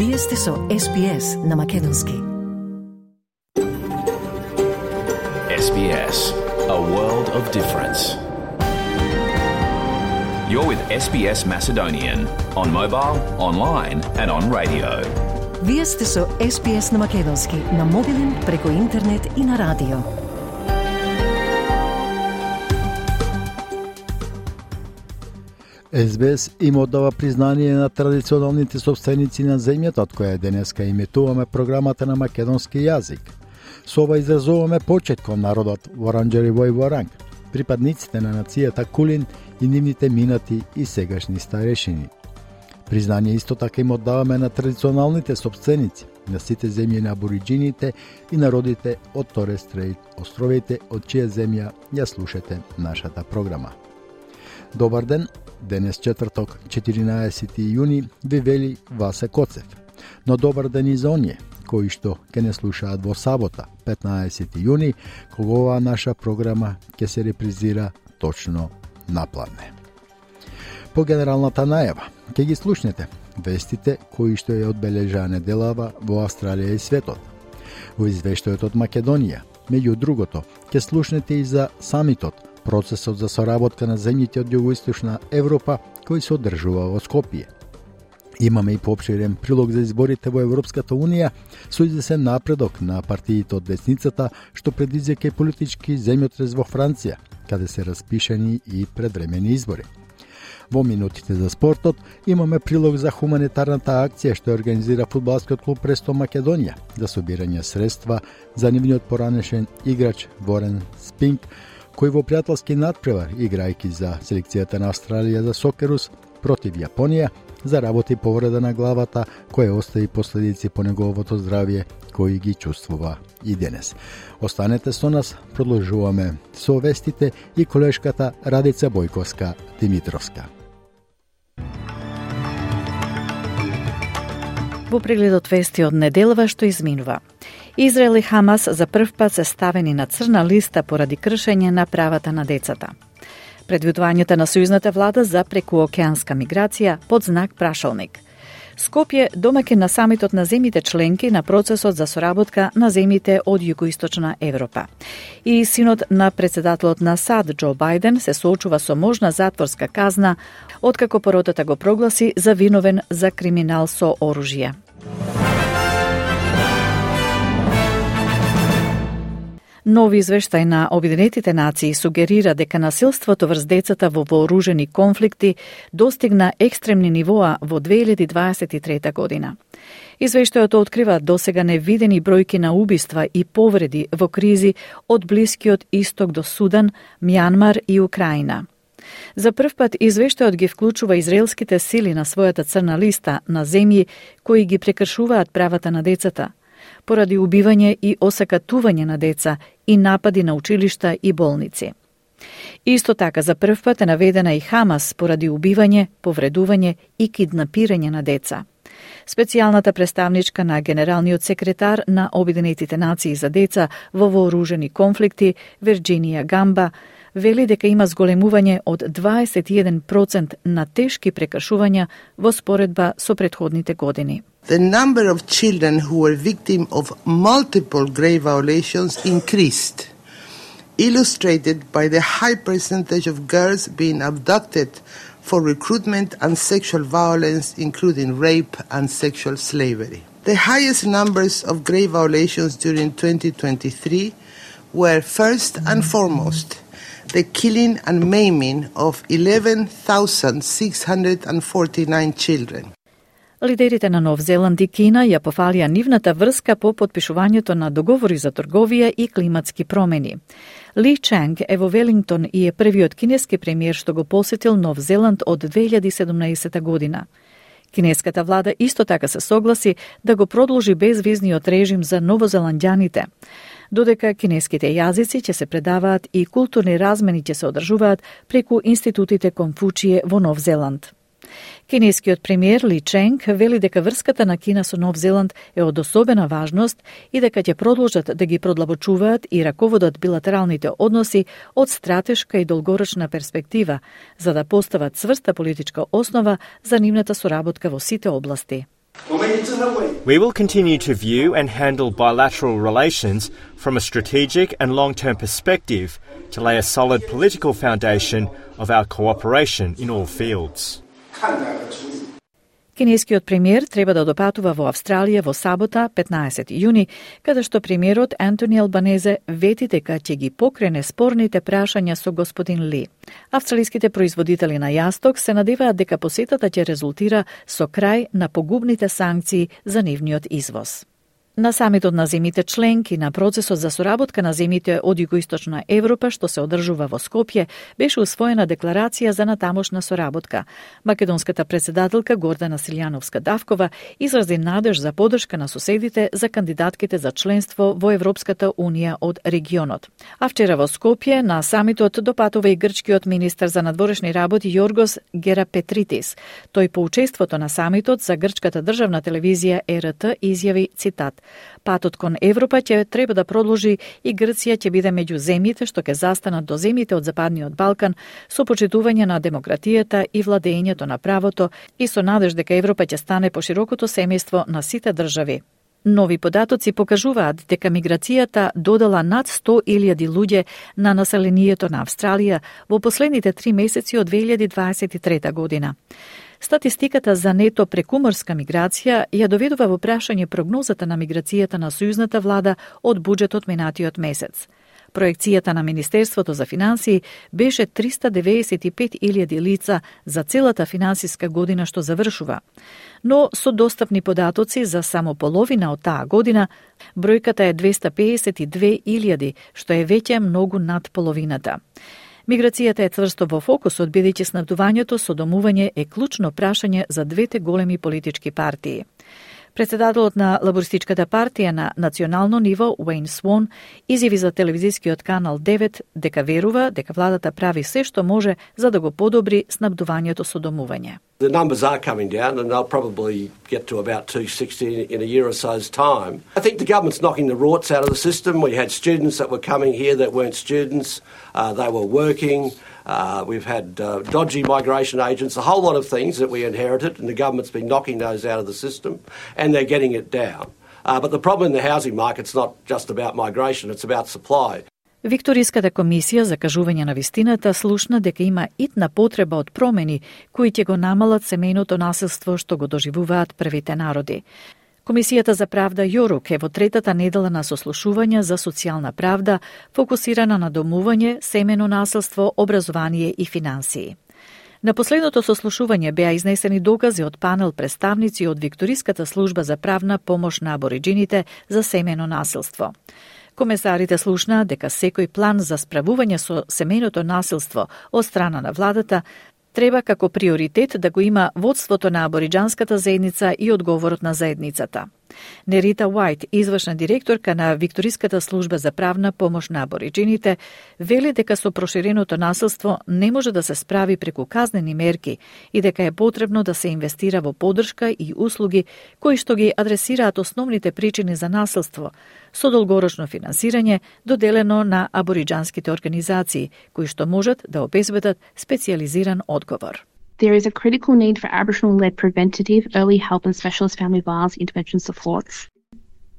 Вие сте со SPS на Македонски. SBS, a world of difference. You're with SBS Macedonian on mobile, online and on radio. Вие сте со SPS на Македонски на мобилен, преку интернет и на радио. SBS им оддава признание на традиционалните собственици на земјата, од која денеска иметуваме програмата на македонски јазик. Со ова изразуваме почет кон народот Воранџериво и Воранг, припадниците на нацијата Кулин и нивните минати и сегашни старешини. Признание исто така им оддаваме на традиционалните собственици на сите земји на абориџините и народите од Торес Стрейт островите, од чија земја ја слушате нашата програма. Добар ден, денес четврток, 14 јуни, ви вели Васе Коцев. Но добар ден и за оние кои што ќе не слушаат во сабота, 15 јуни, кога оваа наша програма ќе се репризира точно на пладне. По генералната најава, ќе ги слушнете вестите кои што ја одбележаа неделава во Австралија и светот. Во извештајот од Македонија, меѓу другото, ќе слушнете и за самитот, процесот за соработка на земјите од југоисточна Европа кој се одржува во Скопје. Имаме и поопширен прилог за изборите во Европската Унија со извесен напредок на партиите од десницата што предизвика и политички земјотрес во Франција, каде се распишани и предвремени избори. Во минутите за спортот имаме прилог за хуманитарната акција што организира фудбалскиот клуб Престо Македонија за собирање средства за нивниот поранешен играч Ворен Спинк, кој во пријателски надпревар, играјќи за селекцијата на Австралија за сокерус против Јапонија, заработи повреда на главата, која остави последици по неговото здравје, кои ги чувствува и денес. Останете со нас, продолжуваме со вестите и колешката Радица Бојковска-Димитровска. Во прегледот вести од неделава што изминува. Израел и Хамас за прв пат се ставени на црна листа поради кршење на правата на децата. Предвидувањето на сојузната влада за прекуокеанска миграција под знак прашалник. Скопје домаќин на самитот на земјите членки на процесот за соработка на земјите од југоисточна Европа. И синот на председателот на САД Џо Бајден се соочува со можна затворска казна откако поротата го прогласи за виновен за криминал со оружје. Нови извештај на Обединетите нации сугерира дека насилството врз децата во вооружени конфликти достигна екстремни нивоа во 2023 година. Извештајот открива досега невидени бројки на убиства и повреди во кризи од Блискиот Исток до Судан, Мјанмар и Украина. За прв пат извештајот ги вклучува израелските сили на својата црна листа на земји кои ги прекршуваат правата на децата, поради убивање и осакатување на деца и напади на училишта и болници. Исто така за прв пат е наведена и Хамас поради убивање, повредување и киднапирање на деца. Специјалната представничка на генералниот секретар на Обединетите нации за деца во вооружени конфликти, Вирџинија Гамба, вели дека има зголемување од 21% на тешки прекршувања во споредба со претходните години. The number of children who were victim of multiple grave violations increased, illustrated by the high percentage of girls being abducted for recruitment and sexual violence, including rape and sexual slavery. The highest numbers of grave violations during 2023 were first and foremost the killing and maiming of 11,649 children. Лидерите на Нов Зеланд и Кина ја пофалија нивната врска по потпишувањето на договори за трговија и климатски промени. Ли Чанг е во Велингтон и е првиот кинески премиер што го посетил Нов Зеланд од 2017 година. Кинеската влада исто така се согласи да го продолжи безвизниот режим за новозеландјаните, додека кинеските јазици ќе се предаваат и културни размени ќе се одржуваат преку институтите Конфучије во Нов Зеланд. Кинескиот премиер Ли Ченг вели дека врската на Кина со Нов Зеланд е од особена важност и дека ќе продолжат да ги продлабочуваат и раководат билатералните односи од стратешка и долгорочна перспектива, за да постават цврста политичка основа за нивната соработка во сите области. We will continue to view and handle bilateral relations from a strategic and long-term perspective to lay a solid political foundation of our cooperation in all fields. Кинескиот премиер треба да допатува во Австралија во сабота, 15 јуни, каде што премиерот Антони Албанезе вети дека ќе ги покрене спорните прашања со господин Ли. Австралиските производители на јасток се надеваат дека посетата ќе резултира со крај на погубните санкции за нивниот извоз. На самитот на земите членки на процесот за соработка на земите од Југоисточна Европа, што се одржува во Скопје, беше усвоена декларација за натамошна соработка. Македонската председателка Гордана Силјановска-Давкова изрази надеж за поддршка на соседите за кандидатките за членство во Европската унија од регионот. А вчера во Скопје на самитот допатува и грчкиот министер за надворешни работи Јоргос Герапетритис. Тој по учеството на самитот за грчката државна телевизија ЕРТ изјави цитат: "Патот кон Европа ќе треба да продолжи и Грција ќе биде меѓу земјите што ќе застанат до земјите од Западниот Балкан со почитување на демократијата и владењето на правото и со надеж дека Европа ќе стане поширокото семејство на сите држави." Нови податоци покажуваат дека миграцијата додала над 100.000 луѓе на населението на Австралија во последните 3 месеци од 2023 година. Статистиката за нето прекуморска миграција ја доведува во прашање прогнозата на миграцијата на сојузната влада од буџетот минатиот месец. Проекцијата на Министерството за финансии беше 395.000 лица за целата финансиска година што завршува. Но со достапни податоци за само половина од таа година, бројката е 252.000, што е веќе многу над половината. Миграцијата е цврсто во фокусот, бидејќи снабдувањето со домување е клучно прашање за двете големи политички партии. Председателот на Лабористичката партија на национално ниво, Уейн Свон, изјави за телевизискиот канал 9 дека верува дека владата прави се што може за да го подобри снабдувањето со домување. The numbers are coming down and they'll probably get to about 260 in a year or so's time. I think the government's knocking the rorts out of the system. We had students that were coming here that weren't students. They were working. We've had dodgy migration agents, a whole lot of things that we inherited, and the government's been knocking those out of the system, and they're getting it down. But the problem in the housing market's not just about migration, it's about supply. Викториската комисија за кажување на вистината слушна дека има итна потреба од промени кои ќе го намалат семејното насилство што го доживуваат првите народи. Комисијата за правда Јорук е во третата недела на сослушување за социјална правда, фокусирана на домување, семено насилство, образование и финансии. На последното сослушување беа изнесени докази од панел представници од Викториската служба за правна помош на абориџините за семено насилство. Комесарите слушнаа дека секој план за справување со семејното насилство од страна на владата треба како приоритет да го има водството на абориџанската заедница и одговорот на заедницата. Нерита Уајт, извршна директорка на Викториската служба за правна помош на абориџините, вели дека со проширеното насилство не може да се справи преку казнени мерки и дека е потребно да се инвестира во поддршка и услуги кои што ги адресираат основните причини за насилство, со долгорочно финансирање доделено на абориџанските организации, кои што можат да обезбедат специјализиран одговор. There is a critical need for Aboriginal-led preventative, early help and specialist family violence intervention supports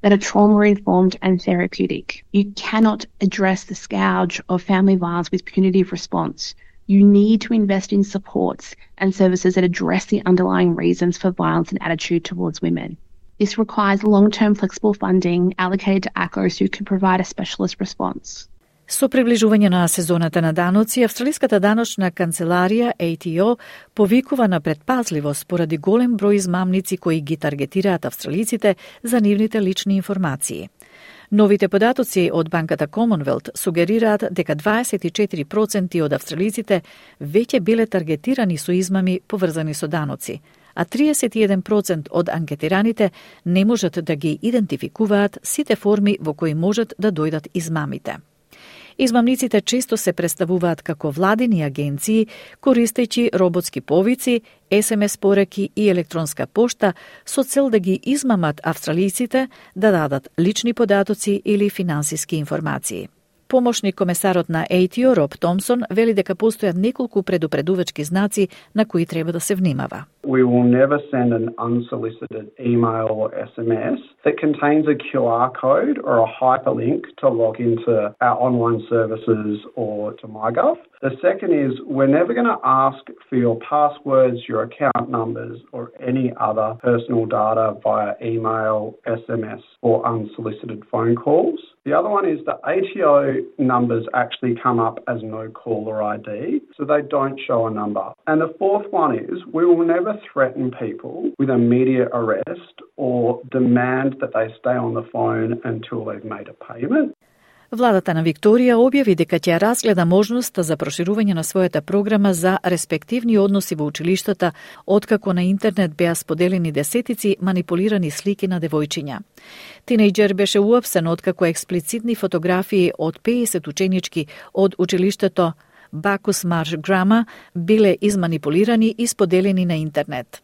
that are trauma-informed and therapeutic. You cannot address the scourge of family violence with punitive response. You need to invest in supports and services that address the underlying reasons for violence and attitude towards women. This requires long-term flexible funding allocated to ACOs who can provide a specialist response. Со приближување на сезоната на даноци, Австралиската даночна канцеларија ATO повикува на предпазливост поради голем број измамници кои ги таргетираат австралиците за нивните лични информации. Новите податоци од банката Commonwealth сугерираат дека 24% од австралиците веќе биле таргетирани со измами поврзани со даноци, а 31% од анкетираните не можат да ги идентификуваат сите форми во кои можат да дојдат измамите. Измамниците често се представуваат како владини агенции, користејќи роботски повици, SMS пораки и електронска пошта со цел да ги измамат австралиците да дадат лични податоци или финансиски информации. Помошник комесарот на ATO Роб Томсон вели дека постојат неколку предупредувачки знаци на кои треба да се внимава. We will never send an unsolicited email or SMS that contains a QR code or a hyperlink to log into our online services or to MyGov. The second is we're never going to ask for your passwords, your account numbers or any other personal data via email, SMS or unsolicited phone calls. The other one is the ATO numbers actually come up as no caller ID, so they don't show a number. And the fourth one is we will never threaten people with immediate arrest or demand that they stay on the phone until they've made a payment. Владата на Викторија објави дека ќе разгледа можноста за проширување на својата програма за респективни односи во училиштата, откако на интернет беа споделени десетици манипулирани слики на девојчиња. Тинејџер беше уапсен откако експлицитни фотографии од 50 ученички од училиштето Бакус Марш Грама биле изманипулирани и споделени на интернет.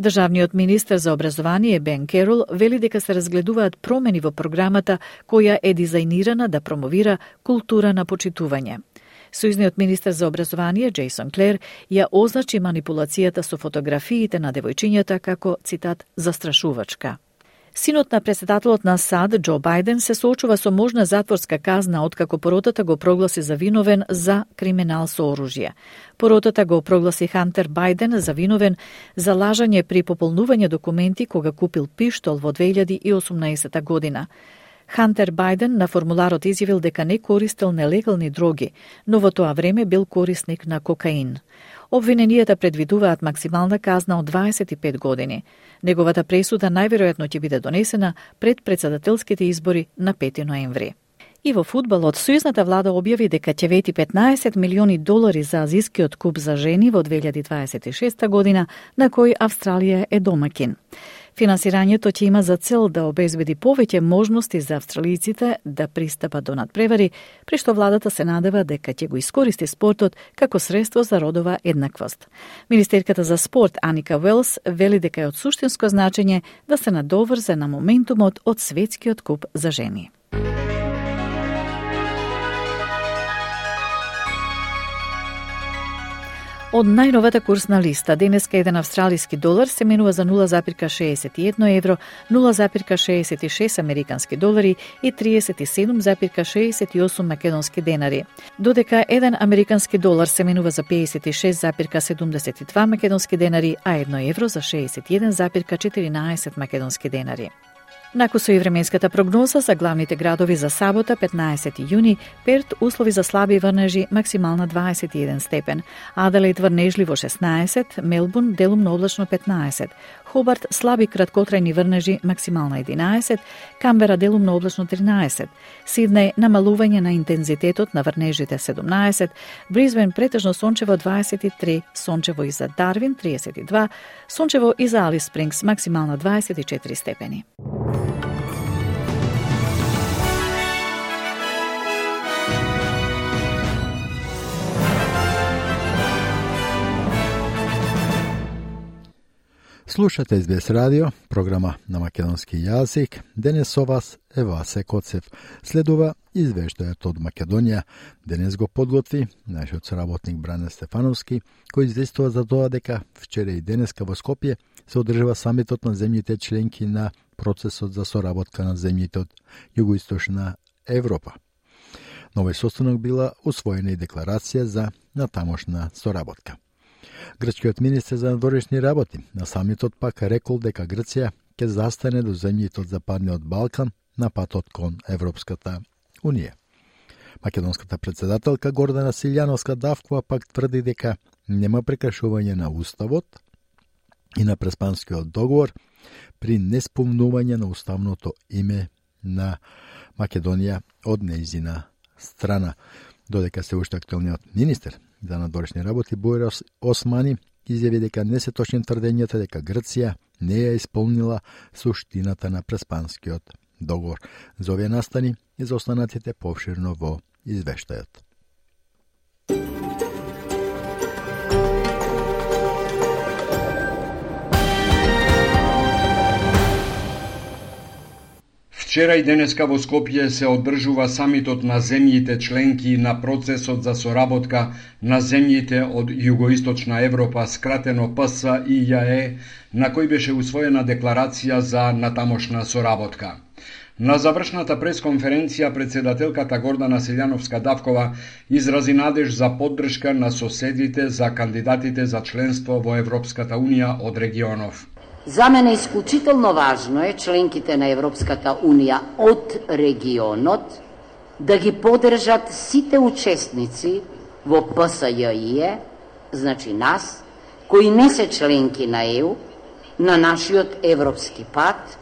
Државниот министер за образование Бен Керол вели дека се разгледуваат промени во програмата која е дизајнирана да промовира култура на почитување. Сојузниот министер за образование Джейсон Клер ја означи манипулацијата со фотографиите на девојчињата како, цитат, застрашувачка. Синот на претседателот на САД, Џо Бајден, се соочува со можна затворска казна откако поротата го прогласи за виновен за криминал со оружје. Поротата го прогласи Хантер Бајден за виновен за лажање при пополнување документи кога купил пиштол во 2018 година. Хантер Бајден на формуларот изјавил дека не користел нелегални дроги, но во тоа време бил корисник на кокаин. Обвиненијата предвидуваат максимална казна од 25 години. Неговата пресуда најверојатно ќе биде донесена пред претседателските избори на 5 ноември. И во фудбалот, сојузната влада објави дека ќе вети $15 милиони за азискиот куп за жени во 2026 година, на кој Австралија е домакин. Финансирањето ќе има за цел да обезбеди повеќе можности за австралиците да пристапат до надпревари, при што владата се надева дека ќе го искористи спортот како средство за родова еднаквост. Министерката за спорт Аника Велс вели дека е од суштинско значење да се надоврзе на моментумот од светскиот куп за жени. Од најновата курсна листа, денеска еден австралиски долар се менува за 0,61 евро, 0,66 американски долари и 37,68 македонски денари. Додека еден американски долар се менува за 56,72 македонски денари, а 1 евро за 61,14 македонски денари. Накусо и временската прогноза за главните градови за сабота, 15 јуни, Перт услови за слаби врнежи, максимална 21 степен, Аделаид врнежливо 16, Мелбурн делумно облачно 15, Хобарт слаби краткотрајни врнежи, максимална 11, Камбера делумно облачно 13, Сиднеј намалување на интензитетот на врнежите 17, Брисбен претежно сончево 23, сончево и за Дарвин 32, сончево и за Алис Спрингс максимална 24 степени. Слушате СБС радио, програма на македонски јазик. Денес со вас е Васе Коцев. Следува извештајот од Македонија. Денес го подготви нашиот соработник Бране Стефановски, кој известува за тоа дека вчера и денеска во Скопје се одржува самитот на земјите членки на процесот за соработка на земјите од Југоисточна Европа. На овој состанок била усвоена и декларација за натамошна соработка. Грчкиот министер за надворешни работи на самитот пак рекол дека Грција ќе застане до земјите од Западниот Балкан на патот кон Европската Унија. Македонската претседателка Гордана Силјановска Давкова пак тврди дека нема прекршување на Уставот и на Преспанскиот договор при неспомнување на уставното име на Македонија од нејзина страна. Додека се уште актуелниот министер за надворешни работи Бојар Османи изјави дека не се точни тврдењата дека Грција не ја исполнила суштината на Преспанскиот договор. За овие настани и за останатите повширно во извештајот. Вчера и денеска во Скопје се одржува самитот на земјите членки на процесот за соработка на земјите од Југоисточна Европа, скратено ПСИЈЕ, на кој беше усвоена декларација за натамошна соработка. На завршната пресконференција председателката Гордана Силјановска-Давкова изрази надеж за поддршка на соседите за кандидатите за членство во Европската Унија од регионов. За мене исклучително важно е членките на Европската Унија од регионот да ги поддржат сите учесници во ПСЈИЕ, значи нас, кои не се членки на ЕУ, на нашиот европски пат,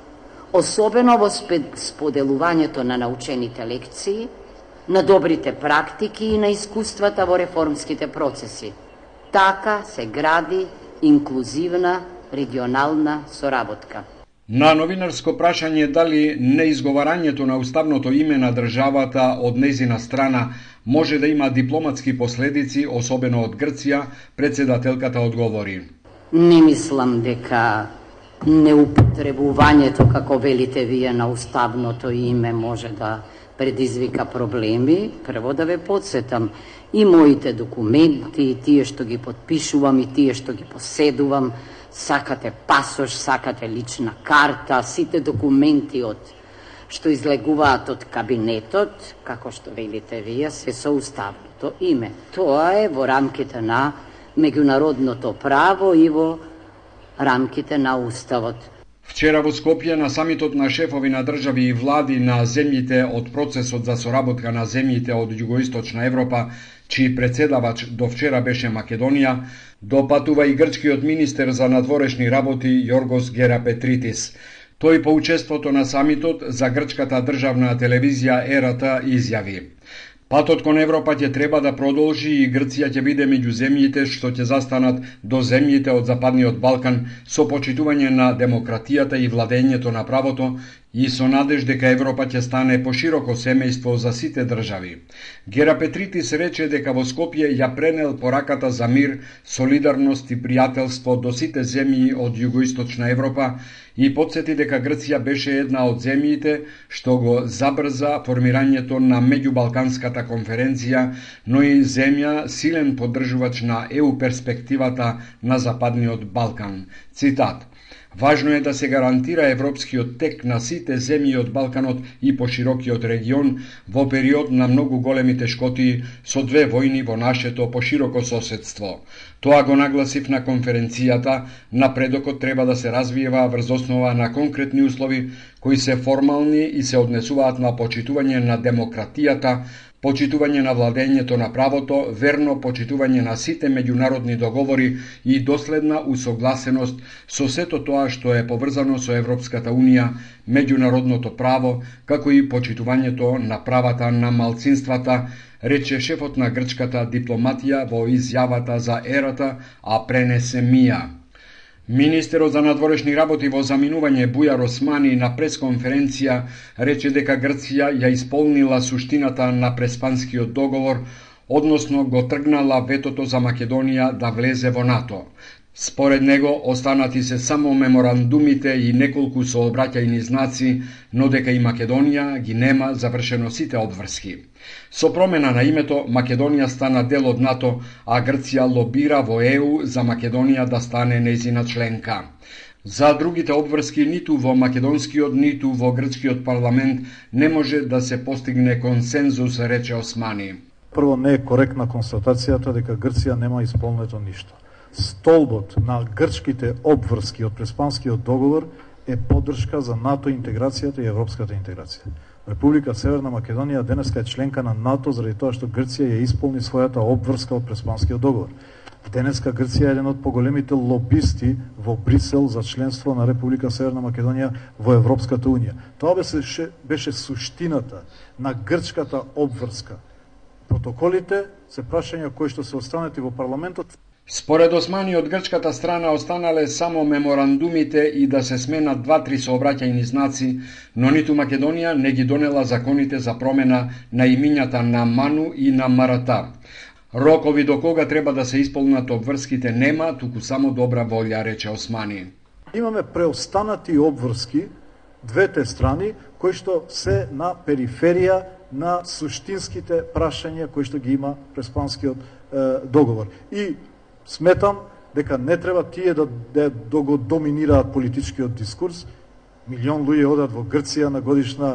особено во споделувањето на научените лекции, на добрите практики и на искуствата во реформските процеси. Така се гради инклузивна регионална соработка. На новинарско прашање дали неизговарањето на уставното име на државата од нејзина страна може да има дипломатски последици, особено од Грција, председателката одговори. Не мислам дека неупотребувањето, како велите вие, на уставното име може да предизвика проблеми. Прво да ве подсетам, и моите документи, и тие што ги подпишувам, и тие што ги поседувам, сакате пасош, сакате лична карта, сите документи што излегуваат од кабинетот, како што велите вие, се со уставното име. Тоа е во рамките на меѓународното право и во рамките на уставот. Вчера во Скопје на самитот на шефови на држави и влади на земјите од процесот за соработка на земјите од Југоисточна Европа, чиј председавач до вчера беше Македонија, допатува и грчкиот министер за надворешни работи Јоргос Герапетритис. Тој по учеството на самитот за грчката државна телевизија ЕРТ изјави: Патот кон Европа ќе треба да продолжи и Грција ќе биде меѓу земјите што ќе застанат до земјите од Западниот Балкан со почитување на демократијата и владењето на правото и со надеж дека Европа ќе стане пошироко семејство за сите држави. Герапетритис рече дека во Скопје ја пренел пораката за мир, солидарност и пријателство до сите земји од Југоисточна Европа и подсети дека Грција беше една од земјите што го забрза формирањето на меѓубалканската конференција, но и земја силен поддржувач на ЕУ перспективата на Западниот Балкан. Цитат: Важно е да се гарантира европскиот тек на сите земји од Балканот и поширокиот регион во период на многу големи тешкоти со две војни во нашето пошироко соседство. Тоа го нагласив на конференцијата. Напредокот треба да се развива врз основа на конкретни услови кои се формални и се однесуваат на почитување на демократијата, почитување на владењето на правото, верно почитување на сите меѓународни договори и доследна усогласеност со сето тоа што е поврзано со Европската Унија, меѓународното право, како и почитувањето на правата на малцинствата, рече шефот на грчката дипломатија во изјавата за ЕРТ, а пренесе МИА. Министерот за надворешни работи во заминување Бујар Османи на пресконференција рече дека Грција ја исполнила суштината на Преспанскиот договор, односно го тргнала ветото за Македонија да влезе во НАТО. Според него останати се само меморандумите и неколку сообраќајни знаци, но дека и Македонија ги нема завршено сите обврски. Со промена на името, Македонија стана дел од НАТО, а Грција лобира во ЕУ за Македонија да стане нејзина членка. За другите обврски ниту во македонскиот, ниту во грчкиот парламент не може да се постигне консензус, рече Османи. Прво, не е коректна констатацијата дека Грција нема исполнето ништо. Столбот на грчките обврски од Преспанскиот договор е поддршка за НАТО интеграцијата и европската интеграција. Република Северна Македонија денеска е членка на НАТО заради тоа што Грција ја исполни својата обврска од Преспанскиот договор. Денеска Грција е еден од поголемите лобисти во Брисел за членство на Република Северна Македонија во Европската Унија. Тоа беше суштината на грчката обврска. Протоколите се прашања кои што се останати во парламентот. Според Османи, од грчката страна останале само меморандумите и да се сменат 2-3 сообраќајни знаци, но ниту Македонија не ги донела законите за промена на имињата на Ману и на Марата. Рокови до кога треба да се исполнат обврските нема, туку само добра волја, рече Османи. Имаме преостанати обврски двете страни кои што се на периферија на суштинските прашања кои што ги има преспанскиот договор. И сметам дека не треба тие да го доминираат политичкиот дискурс. Милион луѓе одат во Грција на годишна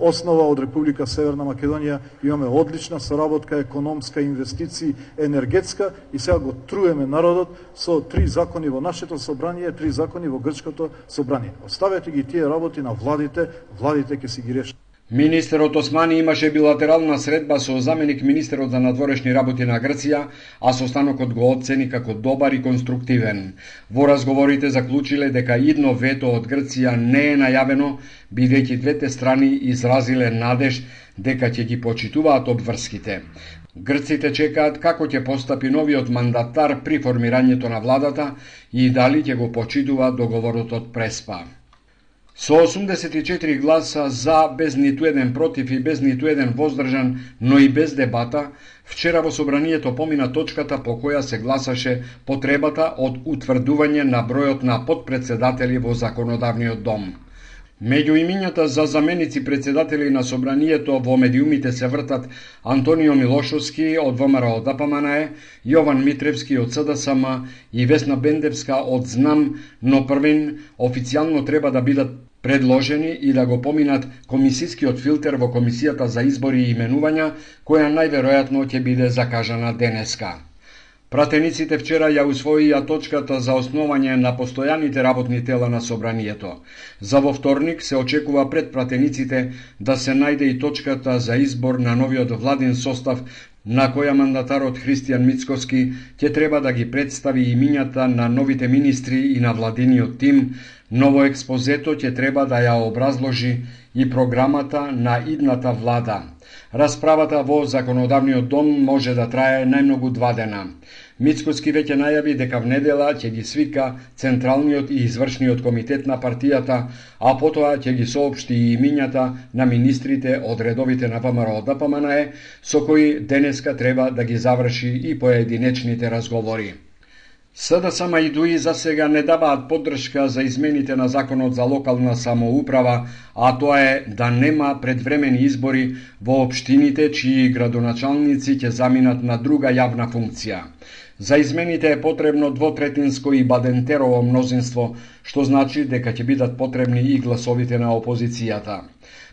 основа од Република Северна Македонија. Имаме одлична соработка, економска, инвестиции, енергетска и сега го труеме народот со 3 закони во нашето собрание, 3 закони во грчкото собрание. Оставете ги тие работи на владите ќе си ги решат. Министерот Османи имаше билатерална средба со заменик министерот за надворешни работи на Грција, а состанокот го оцени како добар и конструктивен. Во разговорите заклучиле дека идно вето од Грција не е најавено, бидејќи двете страни изразиле надеж дека ќе ги почитуваат обврските. Грците чекаат како ќе постапи новиот мандатар при формирањето на владата и дали ќе го почитува договорот од Преспа. Со 84 гласа за, без ниту еден против и без ниту еден воздржан, но и без дебата, вчера во собранието помина точката по која се гласаше потребата од утврдување на бројот на подпредседатели во законодавниот дом. Меѓу имињата за заменици председатели на собранието во медиумите се вртат Антонио Милошовски од ВМРО ДПМНЕ, Јован Митревски од СДСМ и Весна Бендевска од ЗНАМ, но првин официјално треба да бидат предложени и да го поминат комисискиот филтер во Комисијата за избори и именувања, која најверојатно ќе биде закажана денеска. Пратениците вчера ја усвоија точката за основање на постојаните работни тела на собранието. За во вторник се очекува пред пратениците да се најде и точката за избор на новиот владин состав, на која мандатарот Христијан Мицкоски ќе треба да ги представи имињата на новите министри и на владиниот тим. Ново експозето ќе треба да ја образложи и програмата на идната влада. Расправата во законодавниот дом може да трае најмногу 2 дена. Мицкоски веќе најави дека внедела ќе ги свика Централниот и Извршниот комитет на партијата, а потоа ќе ги соопшти и имињата на министрите од редовите на ВМРО ДПМНЕ, со кои денеска треба да ги заврши и поединечните разговори. СДСМ и ДУИ за сега не даваат поддршка за измените на законот за локална самоуправа, а тоа е да нема предвремени избори во општините чии градоначалници ќе заминат на друга јавна функција. За измените е потребно двотретинско и бадентерово мнозинство, што значи дека ќе бидат потребни и гласовите на опозицијата.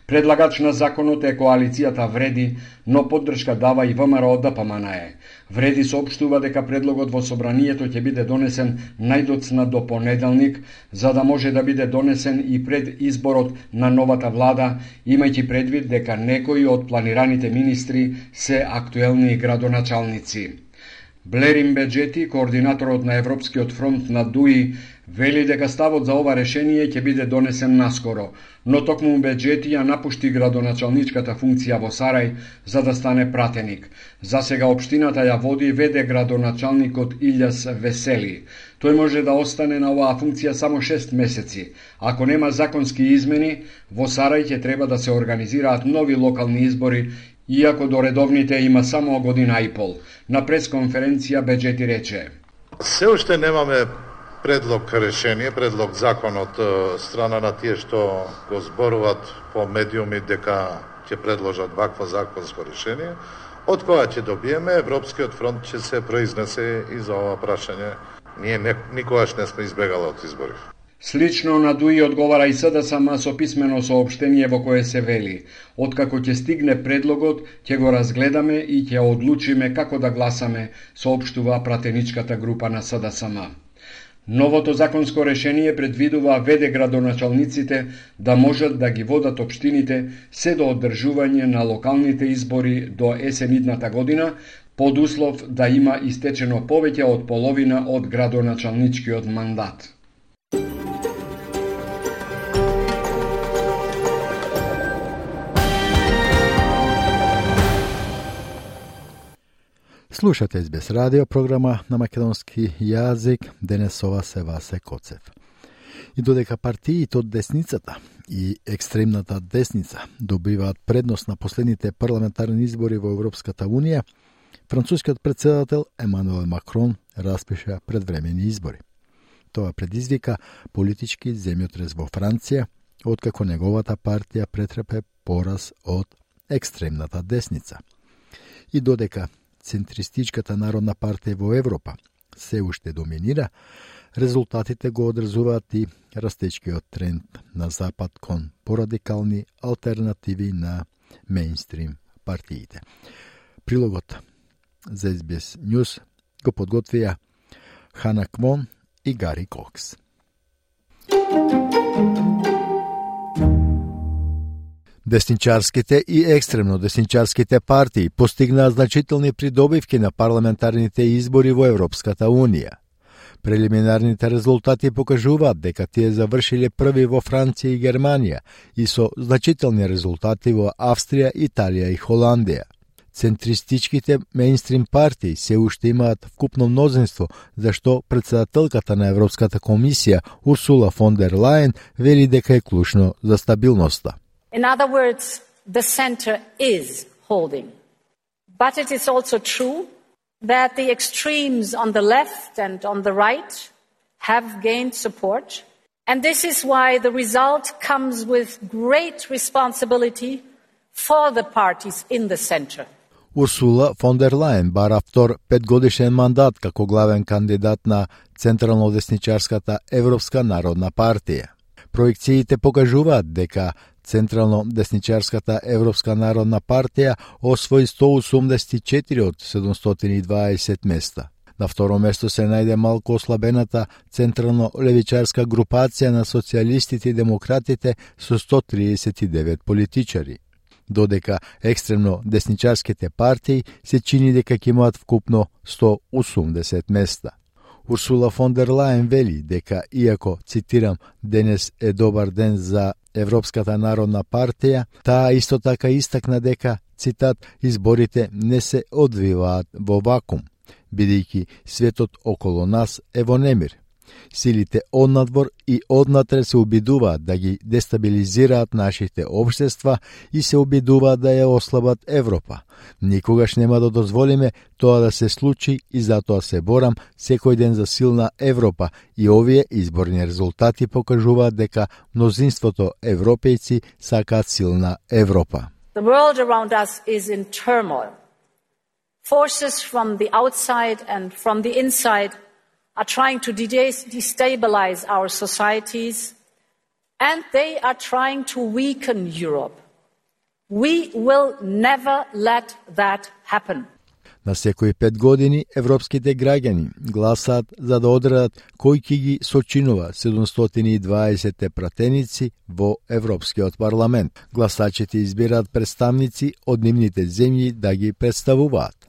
Предлагач на законот е коалицијата Вреди, но поддршка дава и ВМРО ДПМНЕ. Вреди соопштува дека предлогот во собранието ќе биде донесен најдоцна до понеделник, за да може да биде донесен и пред изборот на новата влада, имајќи предвид дека некои од планираните министри се актуелни градоначалници. Блерин Беџети, координаторот на Европскиот фронт на ДУИ, вели дека ставот за ова решение ќе биде донесен наскоро, но токму Беџети ја напушти градоначалничката функција во Сарај за да стане пратеник. За сега општината ја води веде градоначалникот Илјас Весели. Тој може да остане на оваа функција само 6 месеци. Ако нема законски измени, во Сарај ќе треба да се организираат нови локални избори, иако до редовните има само година и пол. На пресконференција Беџети рече: Се уште немаме предлог решение, предлог закон од страна на тие што го зборуваат по медиуми дека ќе предложат вакво законско решение. Од кога ќе добиеме, Европскиот фронт ќе се произнесе и за ова прашање. Ние никогаш не сме избегали од избори. Слично на ДУИ одговара и СДСМ со писмено соопштение во кое се вели: откако ќе стигне предлогот, ќе го разгледаме и ќе одлучиме како да гласаме, соопштува пратеничката група на СДСМ. Новото законско решение предвидува веде градоначалниците да можат да ги водат општините се до одржување на локалните избори до есенидната година, под услов да има истечено повеќе од половина од градоначалничкиот мандат. Слушате СБС радио програма на македонски јазик, денес ова се Васе Коцев. И додека партиите од десницата и екстремната десница добиваат предност на последните парламентарни избори во Европската Унија, францускиот председател Емануел Макрон распиша предвремени избори. Тоа предизвика политички земјотрес во Франција откако неговата партија претрпе пораз од екстремната десница. И додека центристичката Народна партија во Европа се уште доминира, резултатите го одразуваат и растечкиот тренд на запад кон порадикални алтернативи на мејнстрим партиите. Прилогот за SBS News го подготвија Хана Кмон и Гари Кокс. Десничарските и екстремно десничарските партии постигнаа значителни придобивки на парламентарните избори во Европската Унија. Прелиминарните резултати покажуваат дека тие завршиле први во Франција и Германија и со значителни резултати во Австрија, Италија и Холандија. Центристичките мејнстрим партии се уште имаат вкупно мнозинство, зашто председателката на Европската комисија Урсула фон дер Лајен вели дека е клучно за стабилноста. In other words, the center is holding. But it is also true that the extremes on the left and on the right have gained support. And this is why the result comes with great responsibility for the parties in the center. Урсула фон дер Лајен бара втор 5-годишен мандат како главен кандидат на Централно-десничарската Европска народна партија. Проекциите покажуваат дека Централно-десничарската Европска народна партија освои 184 од 720 места. На второ место се најде малку ослабената централно-левичарска групација на социјалистите и демократите со 139 политичари, додека екстремно десничарските партии се чини дека ќе имаат вкупно 180 места. Урсула фон дер Лајен вели дека, иако, цитирам, денес е добар ден за Европската народна партија, таа исто така истакна дека, цитат, изборите не се одвиваат во вакуум, бидејќи светот околу нас е во немир. Силите однадвор и однатре се обидуваат да ги дестабилизираат нашите општества и се обидуваат да ја ослабат Европа. Никогаш нема да дозволиме тоа да се случи и затоа се борам секој ден за силна Европа и овие изборни резултати покажуваат дека мнозинството европејци сакаат силна Европа. The world around us is in turmoil. Forces from the outside and from the inside are trying to destabilize our societies, and they are trying to weaken Europe. We will never let that happen. На секои 5 години европските граѓани гласаат за да одредат кој ќе ги сочинува 720 пратеници во Европскиот парламент. Гласачите избираат представници од нивните земји да ги представуваат.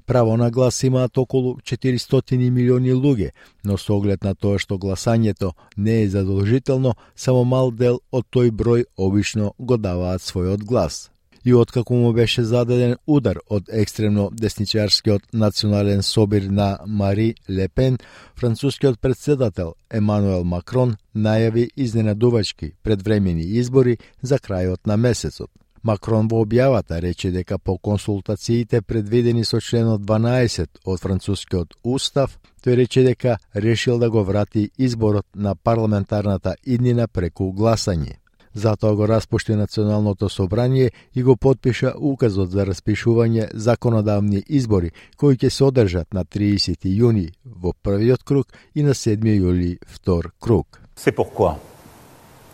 Право на глас имаат околу 400 милиони луѓе, но со оглед на тоа што гласањето не е задолжително, само мал дел од тој број обично го даваат својот глас. И откако му беше зададен удар од екстремно десничарскиот национален собир на Мари Лепен, францускиот председател Емануел Макрон најави изненадувачки предвремени избори за крајот на месецот. Макрон во објавата рече дека по консултациите предвидени со членот 12 од францускиот устав, тој рече дека решил да го врати изборот на парламентарната иднина преку гласање. Затоа го распушти Националното собрание и го потпиша указот за распишување законодавни избори, кои ќе се одржат на 30 јуни во првиот круг и на 7 јули втор круг. C'est pourquoi,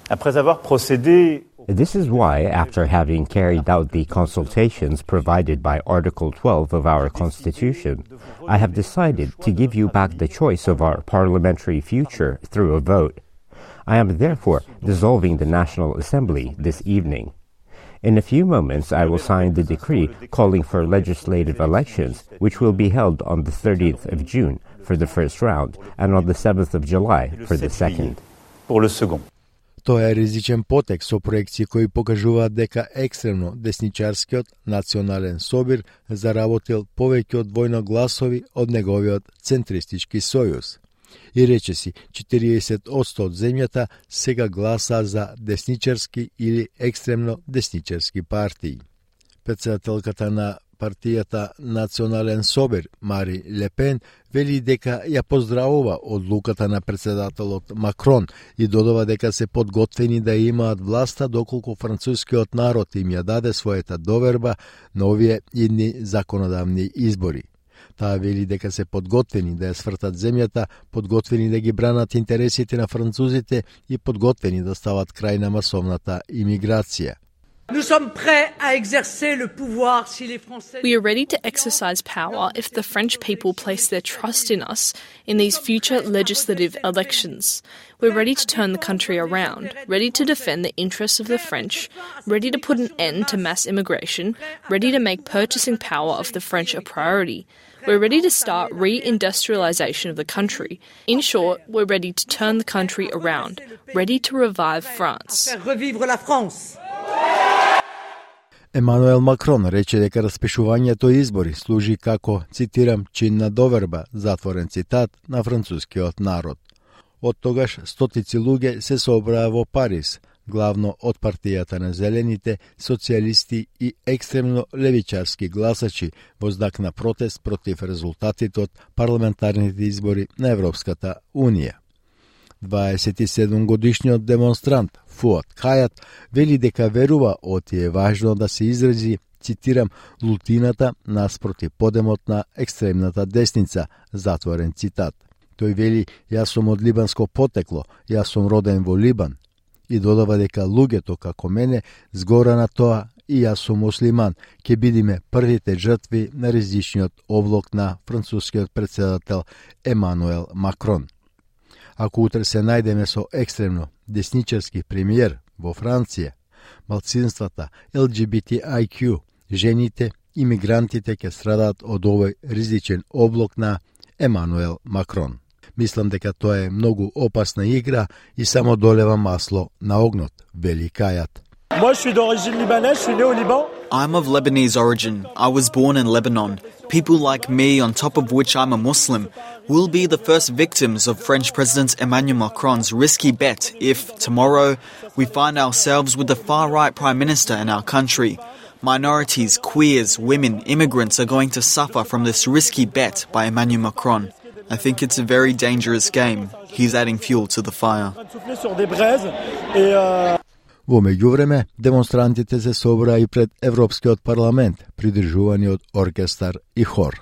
après avoir procédé. This is why, after having carried out the consultations provided by Article 12 of our Constitution, I have decided to give you back the choice of our parliamentary future through a vote. I am therefore dissolving the National Assembly this evening. In a few moments, I will sign the decree calling for legislative elections, which will be held on the 30th of June for the first round and on the 7th of July for the second. Pour le second. Тоа е ризичен потек со проекции кои покажуваат дека екстремно десничарскиот национален собир заработил повеќе од двојно гласови од неговиот центристички сојуз. И речиси 40% од земјата сега гласа за десничарски или екстремно десничарски партии. Председателката на партијата Национален собир Мари Лепен вели дека ја поздравува одлуката на председателот Макрон и додава дека се подготвени да имаат власта доколку францускиот народ им ја даде својата доверба на овие идни законодавни избори. Таа вели дека се подготвени да ја свртат земјата, подготвени да ги бранат интересите на французите и подготвени да стават крај на масовната имиграција. We are ready to exercise power if the French people place their trust in us in these future legislative elections. We're ready to turn the country around, ready to defend the interests of the French, ready to put an end to mass immigration, ready to make purchasing power of the French a priority. We're ready to start re-industrialisation of the country. In short, we're ready to turn the country around, ready to revive France. Емануел Макрон рече дека распишувањето избори служи како, цитирам, чин на доверба, затворен цитат, на францускиот народ. Од тогаш стотици луѓе се собраа во Париз, главно од партијата на зелените, социјалисти и екстремно левичарски гласачи во знак на протест против резултатите од парламентарните избори на Европската Унија. 27-годишниот демонстрант Фуат Хајат вели дека верува оти е важно да се изрази, цитирам, лутината наспроти подемот на екстремната десница, затворен цитат. Тој вели, јас сум од либанско потекло, јас сум роден во Либан, и додава дека луѓето како мене згора на тоа и јас сум муслиман, ќе бидиме првите жртви на ризичниот облок на францускиот председател Емануел Макрон. Ако утре се најдеме со екстремно десничарски премиер во Франција, малцинствата, LGBTIQ, жените и мигрантите ќе страдаат од овој ризичен облок на Емануел Макрон. Мислам дека тоа е многу опасна игра и само долева масло на огнот, вели Хајат. I'm of Lebanese origin. I was born in Lebanon. People like me, on top of which I'm a Muslim, will be the first victims of French President Emmanuel Macron's risky bet if, tomorrow, we find ourselves with the far-right Prime Minister in our country. Minorities, queers, women, immigrants are going to suffer from this risky bet by Emmanuel Macron. I think it's a very dangerous game. He's adding fuel to the fire. Во меѓувреме, демонстрантите се собраа и пред Европскиот парламент, придржувани од оркестар и хор.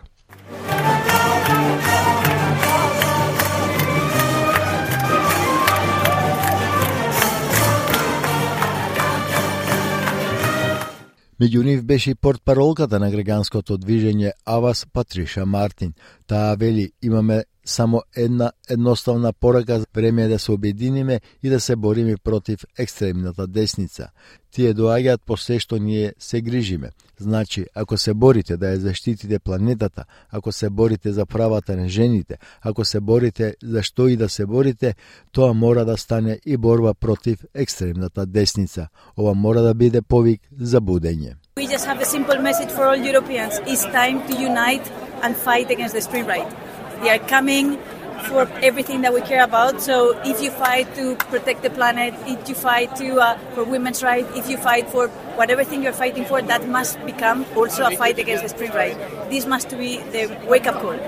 Меѓу нив беше и портпаролката на граѓанското движење Авас Патриша Мартин. Таа вели, имаме само една едноставна порака, време е да се обединиме и да се бориме против екстремната десница. Тие доаѓаат по се што ние се грижиме. Значи, ако се борите да ја заштитите планетата, ако се борите за правата на жените, ако се борите за што и да се борите, тоа мора да стане и борба против екстремната десница. Ова мора да биде повик за будење. We just have a simple message for all Europeans. It's time to unite and fight against the extreme right. They are coming for everything that we care about. So if you fight to protect the planet, if you fight for women's rights, if you fight for whatever thing you're fighting for, that must become also a fight against the extreme right. This must be the wake-up call.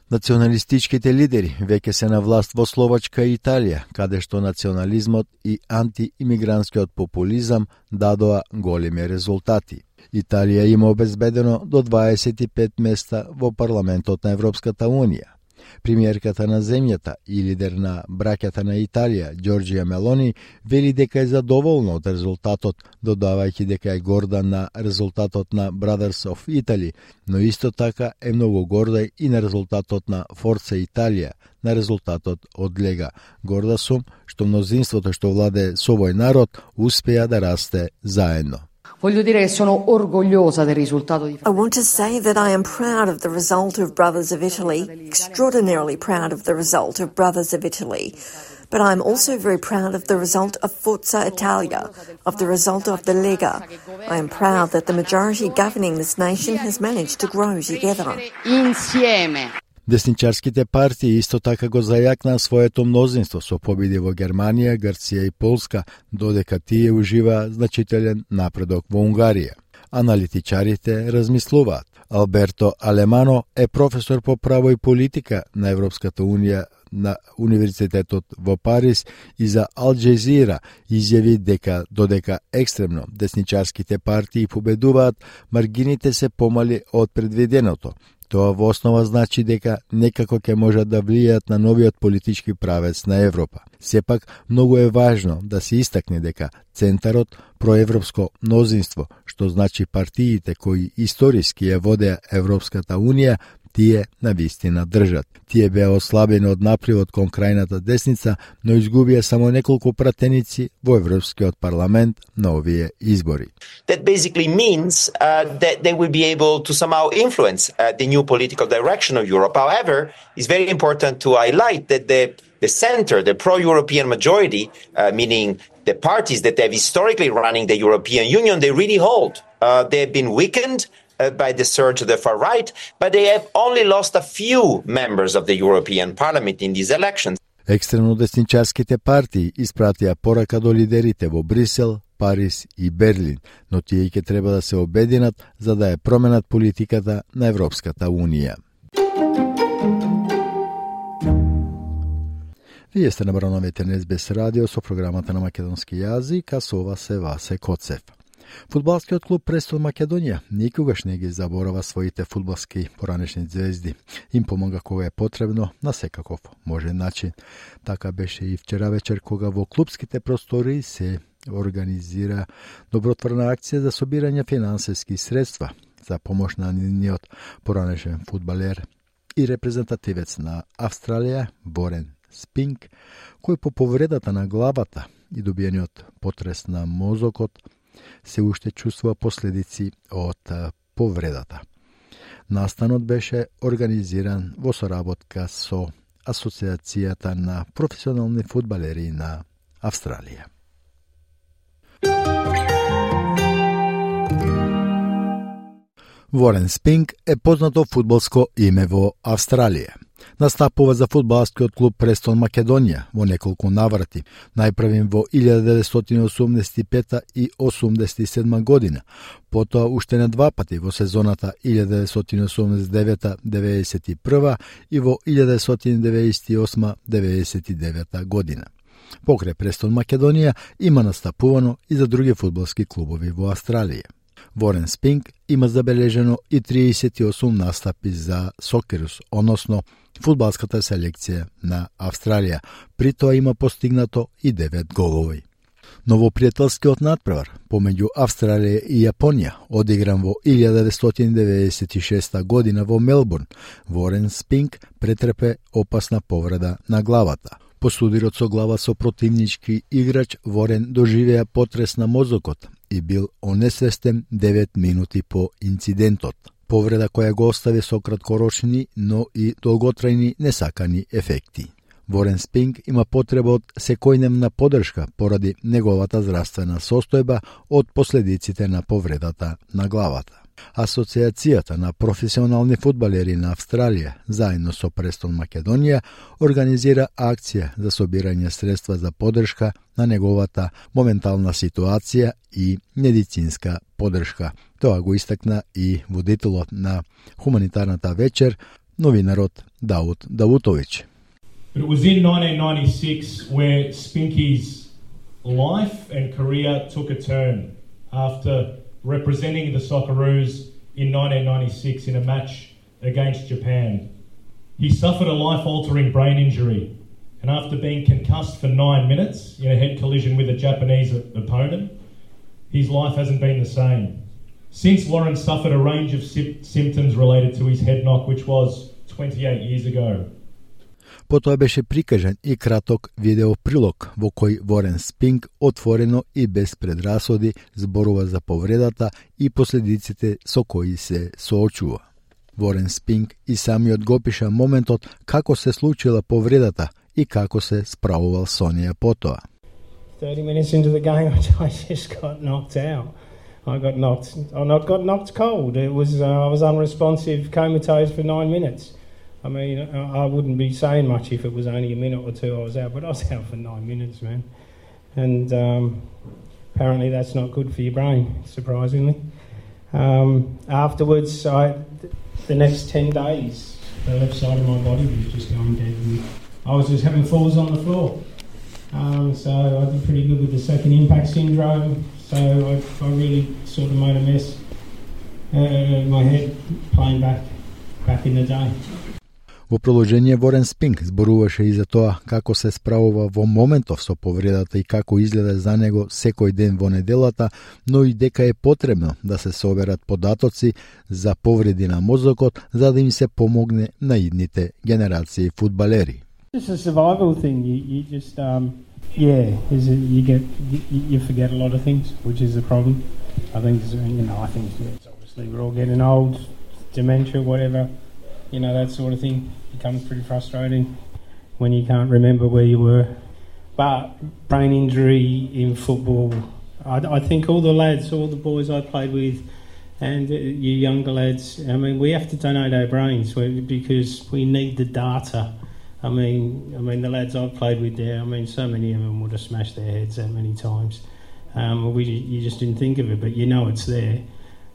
Националистичките лидери веќе се на власт во Словачка и Италија, каде што национализмот и антиимигрантскиот популизам дадоа големи резултати. Италија има обезбедено до 25 места во парламентот на Европската Унија. Премиерката на земјата и лидер на браќата на Италија, Ѓорџија Мелони, вели дека е задоволна од резултатот, додавајќи дека е горда на резултатот на Brothers of Italy, но исто така е многу горда и на резултатот на Forza Italia, на резултатот од Лега. Горда сум што мнозинството што владе со овој народ успеа да расте заедно. Voglio dire che sono orgogliosa del risultato di I want to say that I am proud of the result of Brothers of Italy, extraordinarily proud of the result of Brothers of Italy. But I'm also very proud of the result of Forza Italia, of the result of the Lega. I am proud that the majority governing this nation has managed to grow together. Insieme. Десничарските партии исто така го зајакнаа своето мнозинство со победи во Германија, Грција и Полска, додека тие уживаа значителен напредок во Унгарија. Аналитичарите размислуваат. Алберто Алемано е професор по право и политика на Европската унија на Универзитетот во Париз и за Ал Джезира изјави дека додека екстремно десничарските партии победуваат, маргините се помали од предвиденото. Тоа во основа значи дека некако ќе можат да влијаат на новиот политички правец на Европа. Сепак, многу е важно да се истакне дека центарот проевропско мнозинство, што значи партиите кои историски ја водеа Европската унија, тие навистина држат. Тие беа ослабени од напливот кон крајната десница, но изгубија само неколку пратеници во Европскиот парламент на овие избори. That basically means that they will be able to somehow influence the new political direction of Europe. However, it's very important to highlight that the center, the pro-European majority, meaning the parties that have historically running the European Union, they really hold. They have been weakened by the surge of the far right, but they have only lost a few members of the European Parliament in these elections. Екстремно десничарските партии испратија порака до лидерите во Брисел, Париз и Берлин, но тие ќе треба да се обединат за да ја променат политиката на Европската унија. Вие сте на барановите на СБС радио со програмата на македонски јазик, а со вас е Васе Коцев. Фудбалскиот клуб Престон Македонија никогаш не ги заборава своите фудбалски поранешни звезди. Им помага кога е потребно, на секаков можен начин. Така беше и вчера вечер кога во клубските простори се организира добротворна акција за собирање финансиски средства за помош на нивниот поранешен фудбалер и репрезентативец на Австралија Ворен Спинк, кој по повредата на главата и добиениот потрес на мозокот се уште чувствува последици од повредата. Настанот беше организиран во соработка со Асоциацијата на професионални фудбалери на Австралија. Ворен Спинк е познато фудбалско име во Австралија. Настапува за фудбалскиот клуб Престон Македонија во неколку наврати, најпрвим во 1985 и 87 година, потоа уште на два пати во сезоната 1989-91 и во 1998-99 година. Покрај Престон Македонија има настапувано и за други фудбалски клубови во Австралија. Ворен Спинк има забележено и 38 настапи за Сокерус, односно фудбалската селекција на Австралија. При тоа има постигнато и 9 голови. Новопријателскиот надпревар помеѓу Австралија и Јапонија, одигран во 1996 година во Мелбурн, Ворен Спинк претрпе опасна повреда на главата. По судирот со глава со противнички играч, Ворен доживеа потрес на мозокот и бил онесвестен 9 минути по инцидентот. Повреда која го остави со краткорочни, но и долготрајни несакани ефекти. Ворен Спинк има потреба од секојдневна поддршка поради неговата здравствена состојба од последиците на повредата на главата. Асоциацијата на професионални фудбалери на Австралија, заедно со Престон Македонија, организира акција за собирање средства за поддршка на неговата моментална ситуација и медицинска поддршка. Тоа го истакна и водителот на хуманитарната вечер, новинарот Дауд Давутович. But it was in 1996 where Spinky's life and career took a turn after representing the Socceroos in 1996 in a match against Japan. He suffered a life-altering brain injury, and after being concussed for 9 minutes in a head collision with a Japanese opponent, his life hasn't been the same. Since, Warren suffered a range of symptoms related to his head knock, which was 28 years ago. Потоа беше прикажан и краток видеоприлог во кој Ворен Спинк отворено и без предрасуди зборува за повредата и последиците со кои се соочува. Ворен Спинк и самиот го пиша моментот како се случила повредата и како се справувал со неја потоа. 30 minutes into the game, I just got knocked out. I got knocked cold. It was I was unresponsive, comatose for 9 minutes. I mean, I wouldn't be saying much if it was only a minute or two I was out, but I was out for 9 minutes, man. And apparently that's not good for your brain, surprisingly. Afterwards, the next 10 days, the left side of my body was just going dead. And I was just having falls on the floor. So I did pretty good with the second impact syndrome. So I really sort of made a mess of my head playing back in the day. Во продолжение Ворен Спинк зборуваше и за тоа како се справува во моментов со повредата и како изгледа за него секој ден во неделата, но и дека е потребно да се соберат податоци за повреди на мозокот за да им се помогне на идните генерации фудбалери. It's a survival thing. You just you forget a lot of things, which is the problem. I think it's obviously we're all getting old, dementia, whatever. That sort of thing becomes pretty frustrating when you can't remember where you were. But brain injury in football, I think all the lads, all the boys I played with, and you younger lads, we have to donate our brains because we need the data. The lads I've played with there, so many of them would have smashed their heads that many times. You just didn't think of it, but it's there.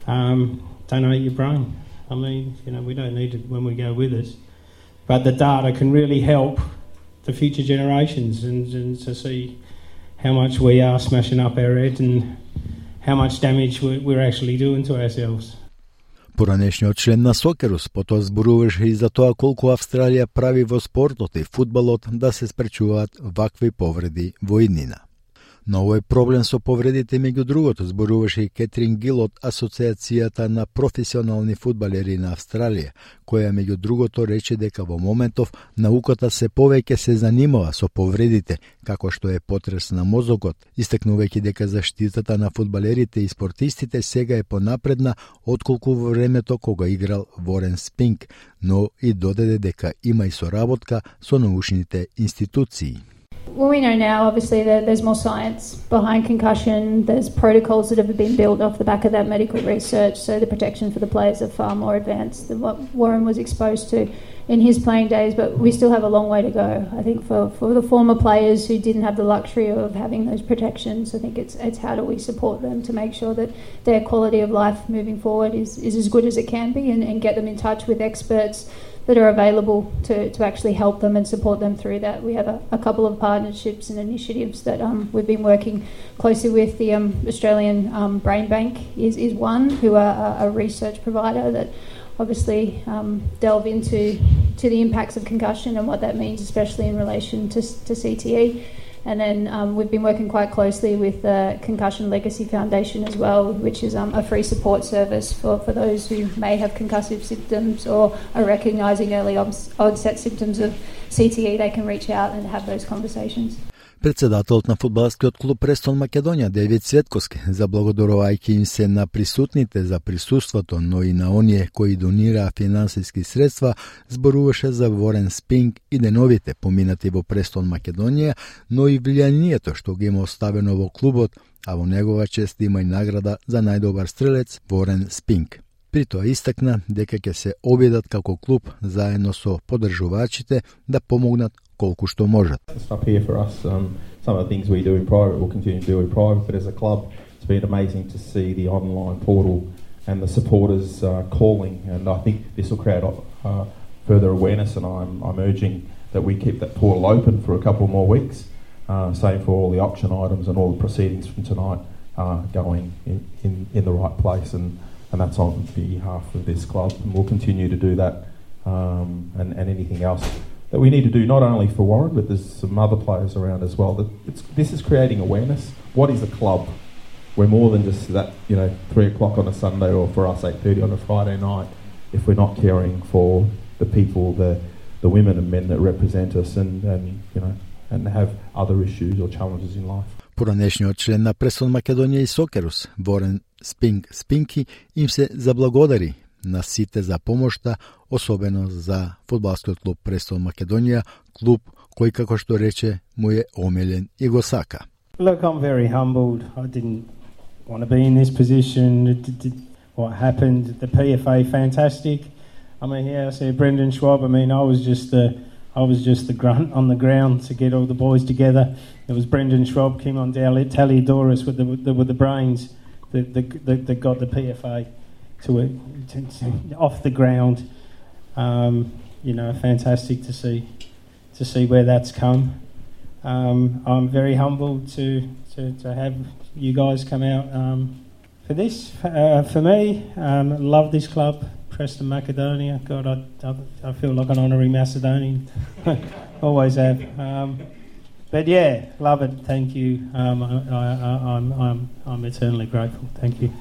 Donate your brain. We don't need it when we go with us. But the data can really help the future generations and to see how much we are smashing up our head and how much damage we're actually doing to ourselves. Поранешниот член на Сокерус потоа зборуваше и за тоа колку Австралија прави во спортот и фудбалот да се спречуваат вакви повреди во иднина. На овој проблем со повредите меѓу другото зборуваше и Кетрин Гил од Асоциацијата на професионални фудбалери на Австралија, која меѓу другото рече дека во моментов науката се повеќе се занимава со повредите, како што е потрес на мозокот, истакнувајќи дека заштитата на фудбалерите и спортистите сега е понапредна отколку во времето кога играл Ворен Спинк, но и додаде дека има и соработка со научните институции. Well, we know now, obviously, that there's more science behind concussion. There's protocols that have been built off the back of that medical research, so the protection for the players are far more advanced than what Warren was exposed to in his playing days, but we still have a long way to go. I think for the former players who didn't have the luxury of having those protections, I think it's how do we support them to make sure that their quality of life moving forward is as good as it can be and get them in touch with experts that are available to actually help them and support them through that. We have a couple of partnerships and initiatives that we've been working closely with. The Australian Brain Bank is one, who are a research provider that obviously delve into the impacts of concussion and what that means, especially in relation to CTE. And then we've been working quite closely with the Concussion Legacy Foundation as well, which is a free support service for those who may have concussive symptoms or are recognising early onset symptoms of CTE. They can reach out and have those conversations. Председателот на фудбалскиот клуб Престон Македонија Девид Цветковски, заблагодарувајќи им се на присутните за присуството, но и на оние кои донираа финансиски средства, зборуваше за Ворен Спинк и деновите поминати во Престон Македонија, но и влијанието што ги има оставено во клубот, а во негова чест има и награда за најдобар стрелец Ворен Спинк. При тоа истакна дека ќе се обидат како клуб заедно со поддржувачите да помогнат колку што можат. Up here for us, some of the things we do in private we'll continue to do in private, but as a club it's been amazing to see the online portal and the supporters calling, and I think this will create further awareness, and I'm urging that we keep that portal open for a couple more weeks. Same for all the auction items and all the proceedings from tonight going in the right place, and that's on behalf of this club, and we'll continue to do that, and anything else that we need to do, not only for Warren, but there's some other players around as well. This is creating awareness. What is a club? We're more than just that, 3 o'clock on a Sunday, or for us 8:30 on a Friday night, if we're not caring for the people, the women and men that represent us and have other issues or challenges in life. Поранешниот член на Престон Македонија и Сокерус, Ворен Спинки, им се заблагодари на сите за помошта, особено за фудбалскиот клуб Престон Македонија, клуб кој, како што рече, му е омилен и го сака. Look, I'm very humbled. I didn't want to be in this position. What happened, the PFA, fantastic. I see Brendan Schwab. I was just the grunt on the ground to get all the boys together. It was Brendan Schwab, came on down, Taliadoris with the brains that got the PFA. off the ground. Fantastic to see where that's come. I'm very humbled to have you guys come out for this. For me, love this club, Preston Macedonia. God, I feel like an honorary Macedonian. Always have. But yeah, love it. Thank you. I'm eternally grateful. Thank you.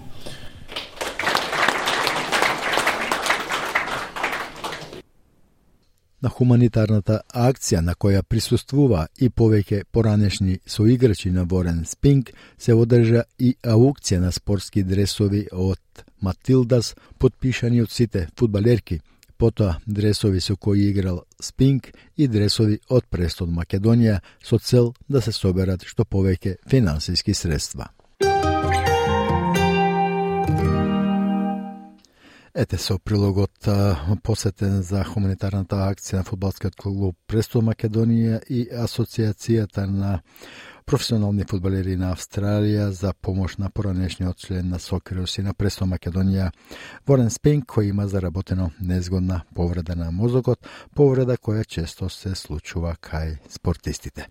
На хуманитарната акција на која присуствува и повеќе поранешни соиграчи на Ворен Спинк се одржа и аукција на спортски дресови од Матилдас, подпишани од сите фудбалерки, потоа дресови со кои играл Спинк и дресови од Престон Македонија со цел да се соберат што повеќе финансиски средства. Ете со прилогот посетен за хуманитарната акција на фудбалскиот клуб Престон Македонија и Асоциацијата на професионални фудбалери на Австралија за помош на поранешниот член на Сокерус и на Престон Македонија Ворен Спинк, кој има заработено незгодна повреда на мозокот, повреда која често се случува кај спортистите.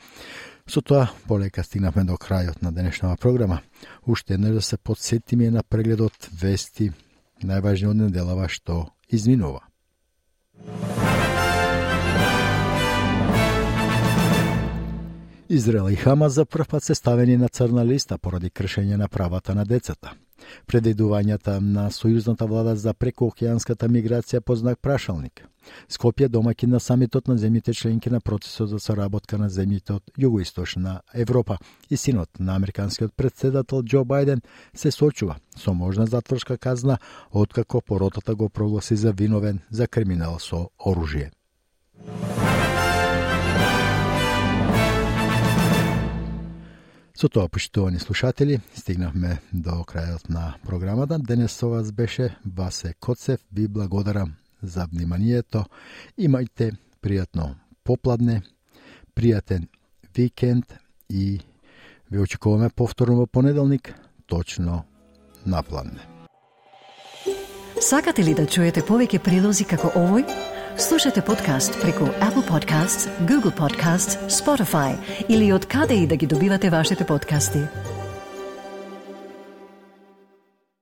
Со тоа, полека стигнавме до крајот на денешната програма. Уште еднаш да се подсетиме на прегледот вести, најважни од неделава што изминува. Израел и Хамас за прв пат се ставени на црна листа поради кршење на правата на децата. Предвидувањата на сојузната влада за прекоокеанската миграција под знак прашалник. Скопје, домаќин на самитот на земјите членки на процесот за соработка на земјите од југоисточна Европа и синот на американскиот претседател Џо Бајден се сочува со можна затворска казна откако поротата го прогласи за виновен за криминал со оружје. Со тоа, почитувани слушатели, стигнавме до крајот на програмата. Денес со вас беше Васе Коцев. Ви благодарам за вниманието. Имајте пријатно попладне, пријатен викенд и ви очекуваме повторно во понеделник, точно на пладне. Сакате ли да чуете повеќе прилози како овој? Слушате подкаст преку Apple Podcasts, Google Podcasts, Spotify или од каде и да ги добивате вашите подкасти.